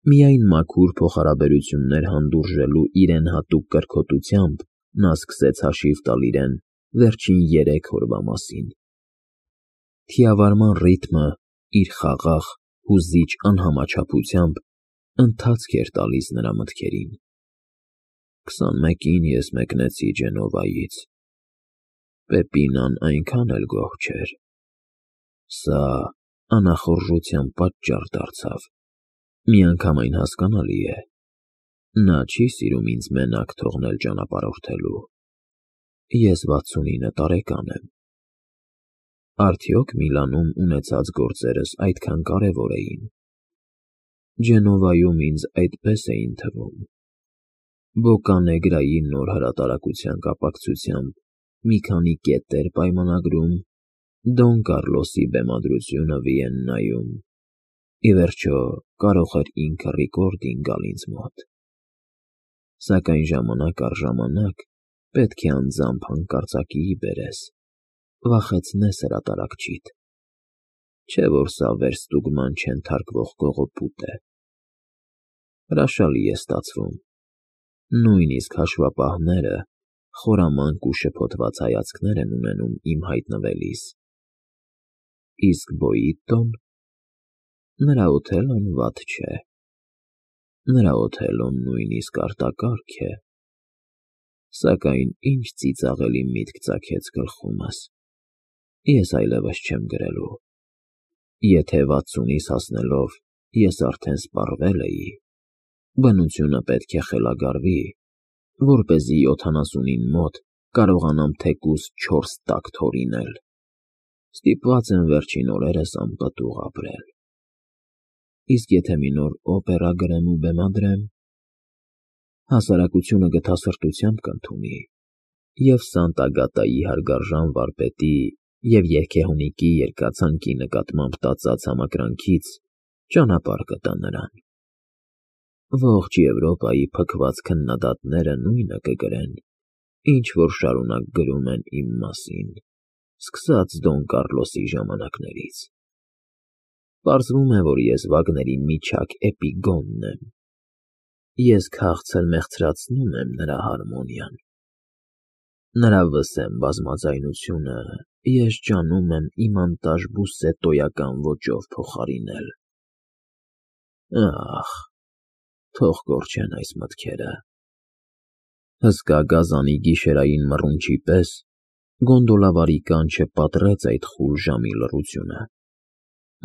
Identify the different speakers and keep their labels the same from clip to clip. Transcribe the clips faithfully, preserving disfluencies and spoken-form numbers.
Speaker 1: Միայն մաքուր փոխհարաբերություններ հանդուրժելու իրեն հատուկ կրքոտությամբ նա սկսեց հաշիվ տալ իրեն վերջին երեք օրվա մասին. թիավարման ռիթմը իր խաղաղ, հուզիչ անհամաչափությամբ ընթացք էր տալիս նրա մտքերին։ Քսանմեկին ես մեկնեցի Ջենովայից, Պեպինան այնքան էլ գոհ չէր։ Սա անախորժության պատճառ դարձավ։ Միանգամայն հասկանալի է, նա չի սիրում ինձ մենակ թողնել ճանապարհորդելու։ Ես վաթսունինը տարեկան եմ։ Արդյոք Միլանում ունեցած գործերս այդքան կարևոր էին։ Ջենովայում ինձ այդպես էին թվում։ Բոկանեգրայի նոր հրատարակության կապակցությամբ մի քանի կետեր պայմանագրում, Դոն Կառլոսի բեմադրությունը Վիեննայում, ի վերջո, կարող էր ինքը ռիկորդինգ գալ ինձ մոտ։ Սակայն ժամանակ առ ժամանակ պետք է անձամբ հանկարծակիի բերես, վախեցնես հրատարակչիդ, չէ՞ որ սա վերստուգման չենթարկվող կողոպուտ է։ Հրաշալի է ստացվում, նույնիսկ հաշվապահները խորամանկ ու շփոթված հայացքներ են ունենում իմ հայտնվելիս։ Իսկ Բոյիտոն… նրա Օթելլոն վատ չէ, նրա Օթելլոն նույնիսկ արտակարգ է, սակայն ինչ ծիծաղելի միտք ծագեց գլխումս, ես այլևս չեմ գրելու։ Եթե վաթսունիս հասնելով ես արդեն սպառվել էի, բնությունը պետք է խելագարվի, որպեսզի յոթանասունին մոտ կարողանամ թեկուզ չորս տակ թորինել։ Ստիպված եմ վերջին օրերս անպտուղ ապրել։ Իսկ եթե մի նոր օպերա գրեմ ու բեմադրեմ, հասարակությունը գթասրտությամբ կընդունի, և Սանտագատայի հարգարժան վարպետի և երգեհոնիկի երգացանկի նկատմամբ տածած համակրանքից ճանապարհ կտա նրան։ Ողջ Եվրոպայի փքված քննադատները նույնը կգրեն, ինչ որ շարունակ գրում են իմ մասին, սկսած Դոն Կառլոսի ժամանակներից։ Պարզվում է, որ ես Վագների միչակ էպիգոնն եմ։ Ես քաղցր մեղցրացնում եմ նրա հարմոնիան։ Նրա վսեմ բազմաձայնությունը ես ջանում եմ իմանտաժ բուսսետոյական ոճով փոխարինել։ Ահ, թող կորչեն այս մտքերը։ Հսկա գազանի գիշերային մռունչի պես գոնդոլավարի կանչը պատռեց այդ խուլ ժամի լռությունը։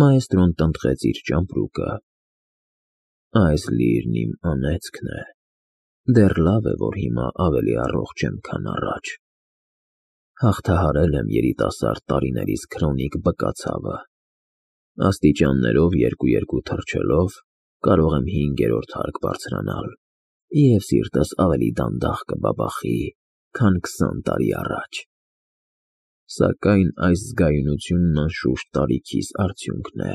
Speaker 1: Մաեստրոն տնտղեց իր ճամպրուկը։ Այս լիրն իմ անեծքն է, դեռ լավ է, որ հիմա ավելի առողջ եմ, քան առաջ։ Հաղթահարել եմ երիտասարդ տարիներիս քրոնիկ բկացավը։ Աստիճաններով երկու֊երկու թռչելով կարող եմ հինգերորդ հարկ բարձրանալ, և սիրտս ավելի դանդաղ կբաբախի, քան քսան տարի առաջ։ Սակայն այս զգայունությունն անշուշտ տարիքիս արդյունքն է։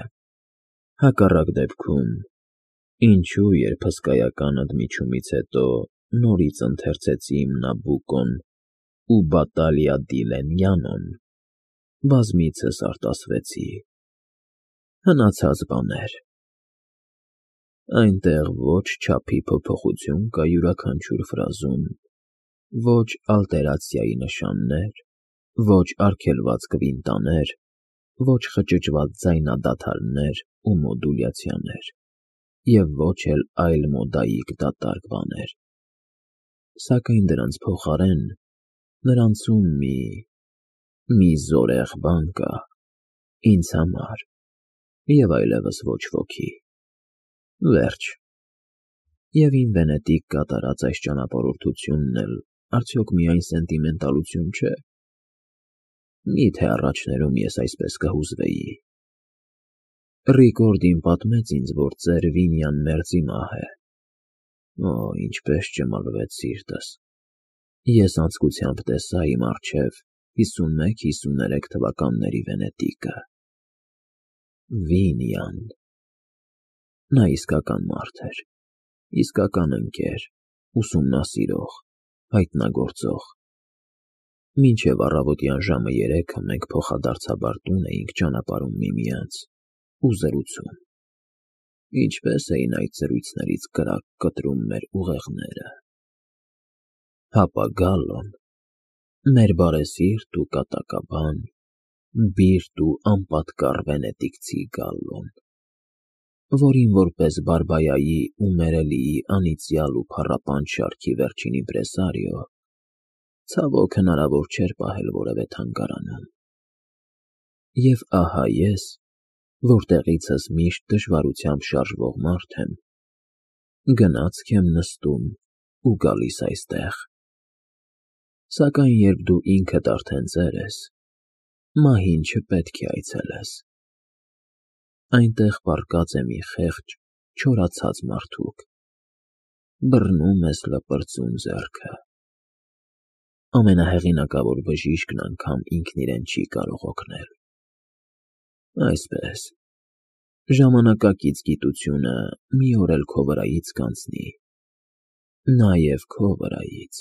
Speaker 1: Հակառակ դեպքում, ինչու երբ հսկայական ընդմիջումից հետո նորից ընթերցեցի իմ Նաբուկոն ու Բատալիա դի Լենյանոն, բազմիցս արտասվեցի։ Հնացած բաներ։ Այնտեղ ոչ չափի փոփոխություն կա յուրաքանչյուր ֆրազում, ոչ ալտերացիայի նշաններ, ոչ արգելված կվինտաներ, ոչ խճճված ձայնադադարներ ու մոդուլյացիաներ, և ոչ էլ այլ մոդայիկ դատարկ բաներ։ Սակայն դրանց փոխարեն նրանցում մի… մի զորեղ բան կա, ինձ համար, և այլևս ոչ ոքի։ Վերջ։ Եվ իմ վենետիկ կատարած այս ճանապարհորդությունն էլ արդյոք միայն սենտիմենտալություն չէ։ Մի՞թե առաջներում ես այսպես կհուզվեի։ Ռիկորդին պատմեց ինձ, որ ծեր Վինյան մերձի մահ է։ Օ, ինչպես ճմլվեց սիրտս։ Ես անձկությամբ տեսա իմ առջև հիսունմեկ հիսուներեք թվականների Վենետիկը։ Վինյան… Նա իսկական մարդ էր, իսկական ընկեր, ուսումնասիրող, հայտնագործող։ Մինչև առավոտյան ժամը երեքը մենք փոխադարձաբար տուն էինք ճանապարհում միմյանց ու զրուցում։ Ինչպես էին այդ զրույցներից կրակ կտրում մեր ուղեղները։ Հապա Գալլոն, մեր բարեսիրտ ու կատակաբան, բիրտ ու անպատկառ վենետիկցի Գալլոն, որին որպես Բարբայայի ու Մերելիի անիծյալ ու փառապանջ շարքի վերջին իմպրեսարիո, ցավոք հնարավոր չէր պահել որևէ թանգարանում։ Եվ ահա ես, որտեղիցս միշտ դժվարությամբ շարժվող մարդ եմ, գնացք եմ նստում ու գալիս այստեղ։ Սակայն երբ դու ինքդ արդեն ծեր ես, մահին չպետք է այցելես։ Այնտեղ պառկած է մի խեղճ, չորացած մարդուկ, բռնում ես լպրծուն ձեռքը։ Ամենահեղինակավոր բժիշկն անգամ ինքն իրեն չի կարող օգնել։ Այսպես, ժամանակակից գիտությունը մի օր էլ քո վրայից կանցնի, նաև քո վրայից։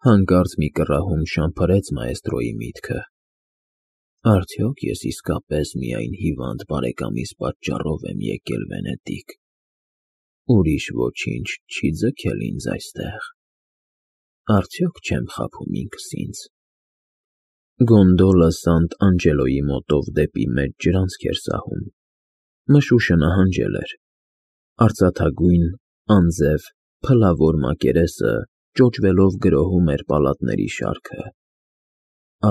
Speaker 1: Հանկարծ մի կռահում շամփրեց մաեստրոյի միտքը. արդյոք ես իսկապես միայն հիվանդ բարեկամիս պատճառով եմ եկել Վենետիկ, ուրիշ ոչինչ չի ձգել ինձ այստեղ, արդյոք չեմ խաբում ինքս ինձ։ Գոնդոլը Սանտ Անջելոյի մոտով դեպի մեծ ջրանցք էր սահում, մշուշը նահանջել էր, արծաթագույն, անձև, փլավոր մակերեսը ճոճվելով գրոհում էր պալատների շարքը։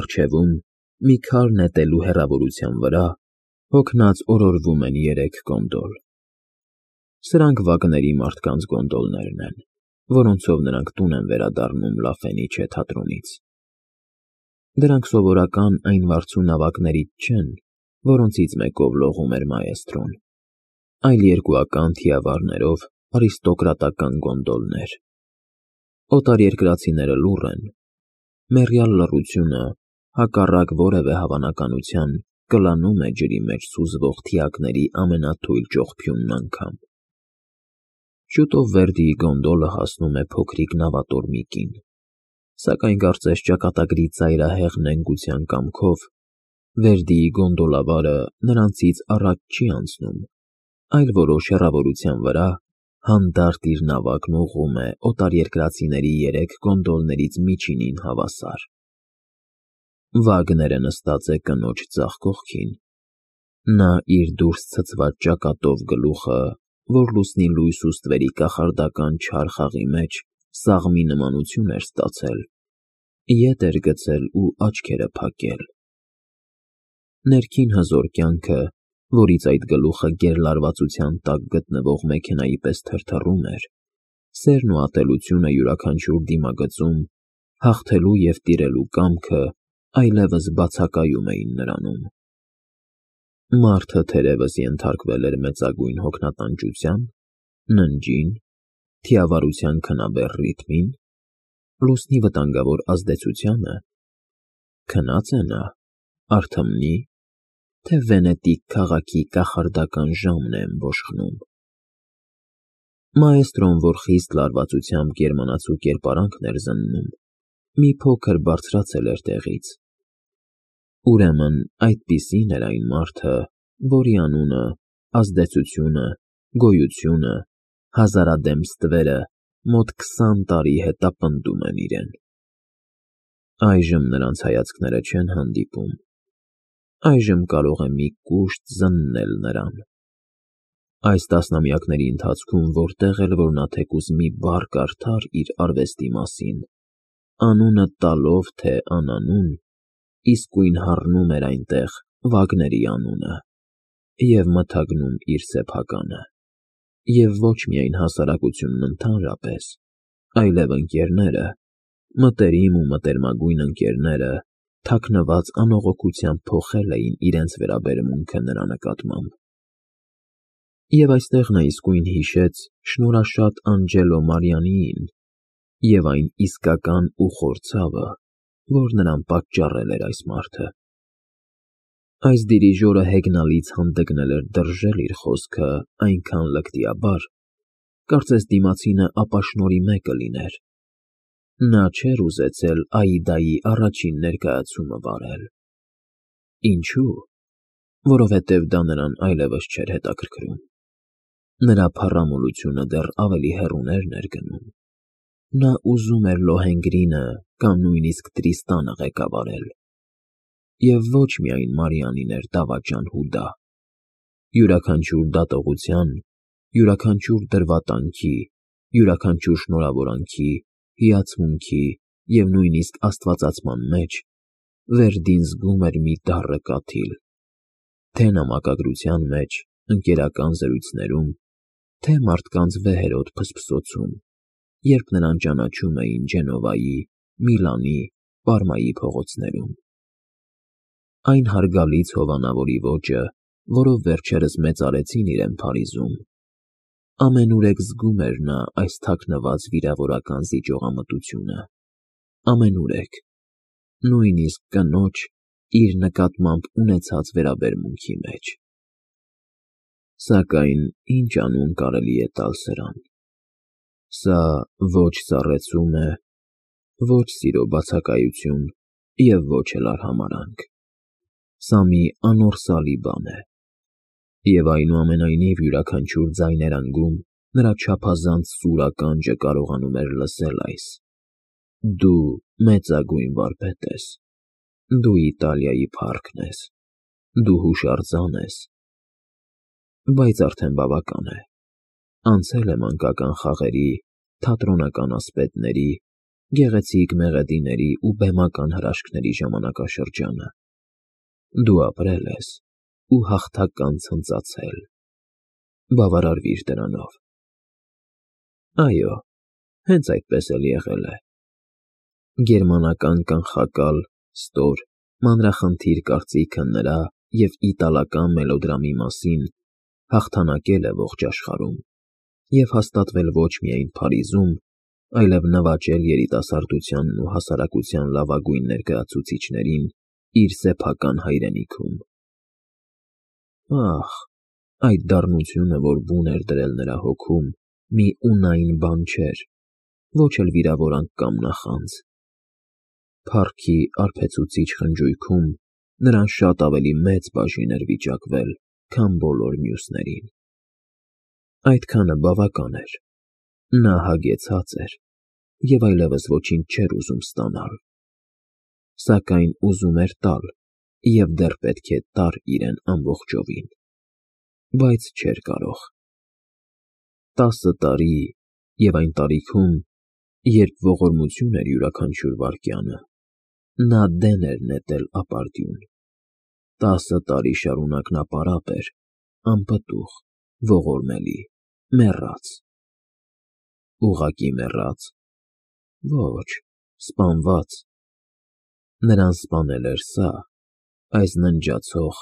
Speaker 1: Առջևում, մի քար նետելու հեռավորության վրա, հոգնած օրորվում են երեք գոնդոլ։ Սրանք վագների մարդկանց գոնդոլներն են, որոնցով նրանք տուն են վերադառնում Լա Ֆենիչե թատրոնից։ Դրանք սովորական այն վարձու նավակներից չեն, որոնցից մեկով լողում էր մաեստրոն, այլ երկուական թիավարներով արիստոկրատական գոնդոլներ։ Օտարերկրացիները լուռ են, մեռյալ լռությունը, հակառակ որևէ հավանականության, կլանում է ջրի մեջ սուզվող թիակների ամենաթույլ ճողփյունն անգամ։ Շուտով Վերդիի գոնդոլը հասնում է փոքրիկ նավատորմի կին, սակայն կարծես ճակատագրի ծայրահեղ նենգության կամքով Վերդիի գոնդոլավարը նրանցից առաջ չի անցնում, այլ որոշ հեռավորության վրա հանդարտ իր նավակն ուղղում է օտարերկրացիների երեք գոնդոլներից միջինին հավասար։ Վագները նստած է կնոջ ձախ կողքին, նա իր դուրս ցցված ճակատով գլուխը, որ լուսնի լույս ու ստվերի կախարդական չար խաղի մեջ սաղմի նմանություն էր ստացել, ետ էր գցել ու աչքերը փակել։ Ներքին հզոր կյանքը, որից այդ գլուխը գերլարվածության տակ գտնվող մեքենայի պես թրթռում էր, սերն ու ատելությունը յուրաքանչյուր դիմագծում, հաղթելու և տիրելու կամքը այլևս բացակայում էին նրանում։ Մարդը թերևս ենթարկվել էր մեծագույն հոգնատանջության, ննջին, թիավարության քնաբեր ռիթմին, լուսնի վտանգավոր ազդեցությանը, քնա՞ծ է նա, արթմնի, թե Վենետիկ քաղաքի կախարդական ժամն է ըմբոշխնում։ Մաեստրոն, որ խիստ լարվածությամբ գերմանացու կերպարանքն էր զննում, մի փոքր բարձրացել էր տեղից։ Ուրեմն այդպիսին էր այն մարդը, որի անունը, ազդեցությունը, գոյությունը, հազարադեմ ստվերը մոտ քսան տարի հետապնդում են իրեն։ Այժմ նրանց հայացքները չեն հանդիպում, այժմ կարող է մի կուշտ զննել նրան։ Այս տասնամյակների ընթացքում որտեղ էլ որ նա թեկուզ մի բառ կարդար իր արվեստի մասին, անունը տալով թե անանուն, իսկույն հառնում էր այնտեղ Վագների անունը և մթագնում իր սեփականը, և ոչ միայն հասարակությունն ընդհանրապես, այլև ընկերները, մտերիմ ու մտերմագույն ընկերները թաքնված անողոքությամբ փոխել էին իրենց վերաբերմունքը նրա նկատմամբ։ Եվ այստեղ նա իսկույն հիշեց շնորհաշատ Անջելո Մարիանիին և այն իսկական ուխոր ցավը, որ նրան պատճառել էր այս մարդը։ Այս դիրիժորը հեգնալից հանդգնել էր դրժել իր խոսքը այնքան լկտիաբար, կարծես դիմացինը ապաշնորհի մեկը լիներ։ Նա չէր ուզեցել Աիդայի առաջին ներկայացումը վարել։ Ինչո՞ւ։ որովհետև դա նրան այլևս չէր հետաքրքրում։ Նրա փառամոլությունը դեռ ավելի հեռուներ ներգնում։ Նա ուզում էր Լոհենգրինը կամ նույնիսկ Տրիստանը ղեկավարել։ Եվ ոչ միայն Մարիանին էր դավաճան Հուդա։ Յուրաքանչյուր դատողության, յուրաքանչյուր դրվատանքի, յուրաքանչյուր շնորհավորանքի, հիացմունքի և նույնիսկ աստվածացման մեջ Վերդին զգում էր մի դառը կաթիլ, թե նամակագրության մեջ, ընկերական զրույցներում, թե մարդկանց վեհերոտ փսփսոցում, երբ նրան ճանաչում էին Ջենովայի, Միլանի, Պարմայի փողոցներում։ Այն հարգալից հովանավորի ոճը, որով վերջերս մեծարեցին իրեն Փարիզում, ամենուրեք զգում էր նա այս թաքնված վիրավորական զիջողամտությունը, ամենուրեք, նույնիսկ կնոջ իր նկատմամբ ունեցած վերաբերմունքի մեջ։ Սակայն ինչ անուն կարելի է տալ սրան։ Սա ոչ սառեցում է, ոչ սիրո բացակայություն և ոչ էլ արհամարհանք։ Սա մի անորսալի բան է։ Եվ այնուամենայնիվ յուրաքանչյուր ձայներանգում նրա չափազանց սուր ականջը կարողանում էր լսել այս. «Դու մեծագույն վարպետ ես, դու Իտալիայի փառքն ես, դու հուշարձան ես»։ Բայց արդեն բավական է։ Անցել է մանկական խաղերի, թատրոնական ասպետների, գեղեցիկ մեղեդիների ու բեմական հրաշքների ժամանակաշրջանը։ Դու ապրել ես ու հաղթական ցնծացել։ Բավարարվիր դրանով։ Այո, հենց այդպես էլ եղել է։ Գերմանական կանխակալ, ստոր, մանրախնդիր կարծիքը նրա և իտալական մելոդրամի մասին հաղթանակել է ողջ աշխարհում և հաստատվել ոչ միայն Փարիզում, այլև նվաճել երիտասարդությանն ու հասարակության լավագույն ներկայացուցիչներին իր սեփական հայրենիքում։ Ահ, այդ դառնությունը, որ բուն էր դրել նրա հոգում, մի ունայն բան չէր, ոչ էլ վիրավորանք կամ նախանձ։ Փառքի արբեցուցիչ խնջույքում նրան շատ ավելի մեծ բաժին էր վիճակվել, քան բոլոր մյուսներին։ Այդքանը բավական էր։ Նա հագեցած էր և այլևս ոչինչ չէր ուզում ստանալ։ Սակայն ուզում էր տալ և դեռ պետք է տար իրեն ամբողջովին։ Բայց չէր կարող։ Տասը տարի և այն տարիքում, երբ ողորմություն էր յուրաքանչյուր վայրկյանը, նա դեն էր նետել ապարդյուն։ Տասը տարի շարունակ նա պարապ էր, անպտուղ, ողորմելի, մեռած։ Ուղղակի մեռա՞ծ։ Ոչ, սպանված։ Նրան սպանել էր սա, այս ննջացող,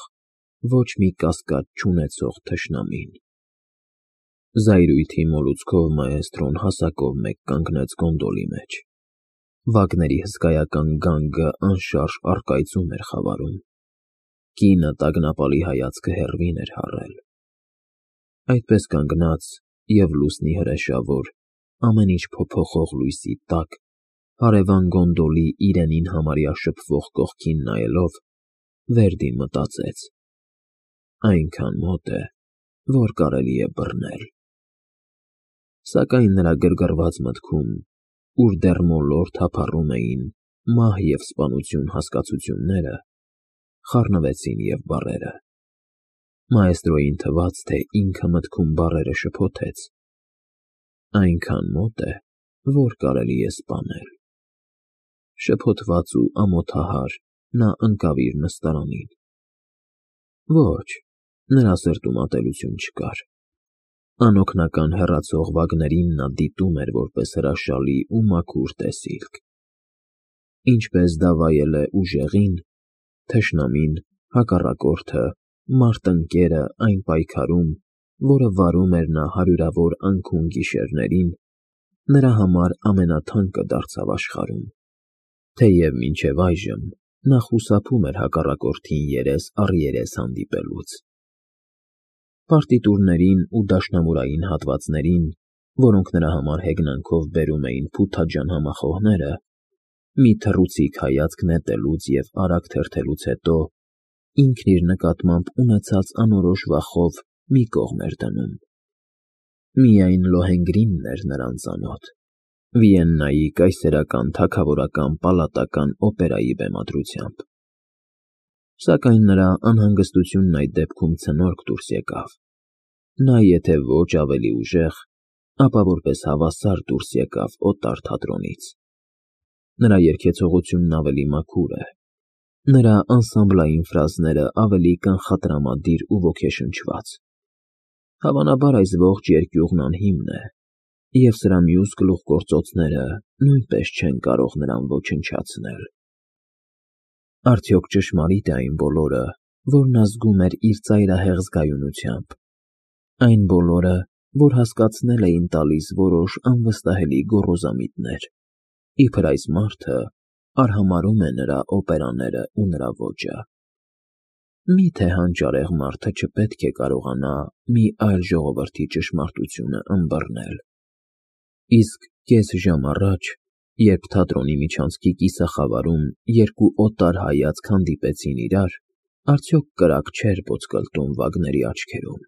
Speaker 1: ոչ մի կասկած չունեցող թշնամին։ Զայրույթի մոլուցքով մաեստրոն հասակով մեկ կանգնեց գոնդոլի մեջ։ Վագների հսկայական գանգը անշարժ առկայծում էր խավարում։ Կինը տագնապալի հայացքը հեռվին էր հառել։ Այդպես կանգնած և լուսնի հրեշավոր, ամեն ինչ փոփոխող լույսի տակ, հարևան գոնդոլի իրենին համարյա շփվող կողքին նայելով, Վերդին մտածեց. այնքան մոտ է, որ կարելի է բռնել։ Սակայն նրա գրգռված մտքում, ուր դեռ մոլոր թափառում էին մահ և սպանություն հասկացությունները, խառնվեցին և բառերը։ Մաեստրոյին թվաց, թե ինքը մտքում բառերը շփոթեց. այնքան մոտ է, որ կարելի է սպանել։ Շփոթված ու ամոթահար նա ընկավ իր նստարանին։ Ոչ, նրա սրտում ատելություն չկար։ Անօգնական հեռացող վագներին նա դիտում էր որպես հրաշալի ու մաքուր տեսիլք։ Ինչպես դա վայել է ուժեղին, թշնամին, հակառակորդը, մարտնկերը այն պայքարում, որը վարում էր նա հարյուրավոր անքուն գիշերներին, նրա համար ամենաթանկը դարձավ աշխարհում, թեև մինչև այժմ նա խուսափում էր հակառակորդին երես առ երես հանդիպելուց։ Պարտիտուրներին ու դաշնամուրային հատվածներին, որոնք նրա համար հեգնանքով բերում էին փութաջան համախոհները, մի թռուցիկ հայացք նետելուց և արագ թերթելուց հետո ինքն իր նկատմամբ ունեցած անորոշ վախով մի կողմ էր դնում։ Միայն Լոհենգրինն էր նրան ծանոթ, Վիեննայի կայսերական թագավորական պալատական օպերայի բեմադրությամբ։ Սակայն նրա անհանգստությունն այդ դեպքում ցնորք դուրս եկավ։ Նա եթե ոչ ավելի ուժեղ, ապա որպես հավասար դուրս եկավ օտար թատրոնից։ Նրա երգեցողությունն ավելի մաքուր է, նրա անսամբլային ֆրազները ավելի կանխատրամադիր ու ոգեշնչված։ Հավանաբար այս ողջ երկյուղն անհիմն է, և սրա մյուս գլուխգործոցները նույնպես չեն կարող նրան ոչնչացնել։ Արդյոք ճշմարի՞տ է այն բոլորը, որ նա զգում էր իր ծայրահեղ զգայունությամբ, այն բոլորը, որ հասկացնել էին տալիս որոշ անվստահելի գոռոզամիտներ, իբր այս մարդը արհամարհում է նրա օպերաները ու նրա ոճը։ Մի՞թե հանճարեղ մարդը չպետք է կարողանա մի այլ ժողովրդի ճշմարտությունը ըմբռնել։ Իսկ կես ժամ առաջ, երբ թատրոնի միջանցքի կիսախավարում երկու օտար հայացք հանդիպեցին իրար, արդյոք կրակ չէր ոտկլտում Վագների աչքերում։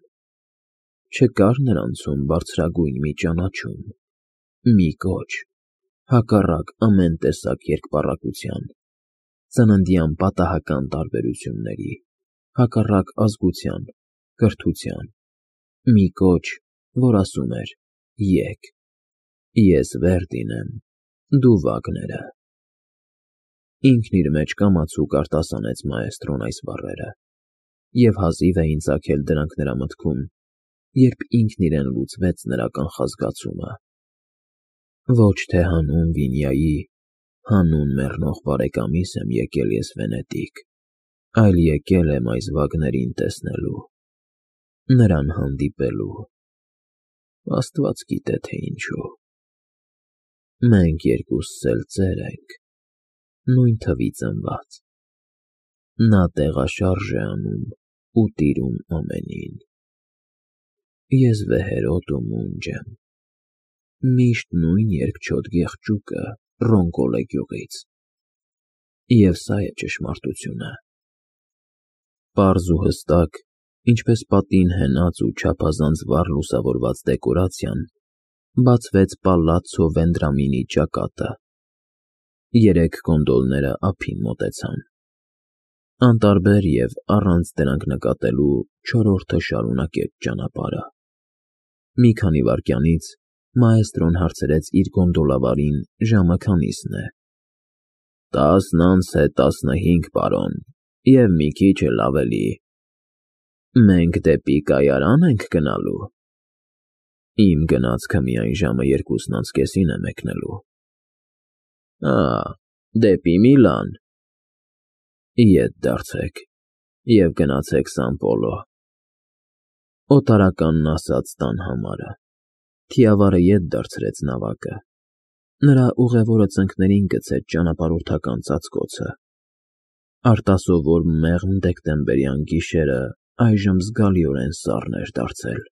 Speaker 1: Չկար նրանցում բարձրագույն մի ճանաչում, մի կոչ, հակառակ ամեն տեսակ երկպառակության, ծննդյան պատահական տարբերությունների, հակառակ ազգության, կրթության, մի կոչ, որ ասում էր. «Եկ, ես Վերդին եմ, դու Վագները»։ Ինքն իր մեջ կամացուկ արտասանեց մաեստրոն այս բառերը, և հազիվ էին ծագել դրանք նրա մտքում, երբ ինքն իրեն լուծվեց նրա կանխազգացումը. ոչ թե հանուն Վինյայի, հանուն մեռնող բարեկամիս եմ եկել ես Վենետիկ, այլ եկել եմ այս Վագներին տեսնելու, նրան հանդիպելու, աստված գիտե, թե ինչու։ Մենք երկուսս էլ ծեր ենք, նույն թվի ծնված, նա տեղաշարժ է անում ու տիրում ամենին։ Ես վեհերոտ ու մունջ եմ, միշտ նույն երկչոտ գեղջուկը Ռոնկոլե գյուղից, և սա է ճշմարտությունը։ Պարզ ու հստակ, ինչպես պատին հենած ու չափազանց վառ լուսավորված դեկորացիան, բացվեց պալացցո Վենդրամինի ճակատը։ Երեք գոնդոլները ափին մոտեցան։ Անտարբեր և առանց դրանք նկատելու չորրորդը շարունակեց ճանապարհը։ Մի քանի վայրկյանից մաեստրոն հարցրեց իր գոնդոլավարին ժամը քանիսն է։ «Տասն անց է տասնհինգ, պարոն, և մի քիչ էլ ավելի»։ Մենք դեպի կայարան ենք գնալու։ Իմ գնացքը միայն ժամը երկուսն անց կեսին է մեկնելու։ Ա, դեպի Միլան։ Ետ դարձեք և գնացեք Սան Պոլո։ Օտարականն ասաց տան համարը։ Թիավարը ետ դարձրեց նավակը։ Նրա ուղևորը ծնկներին գցեց ճանապարհորդական ծածկոցը։ Արտասովոր մեղմ դեկտեմբերյան գիշերը այժմ զգալիորեն սառն էր դարձել։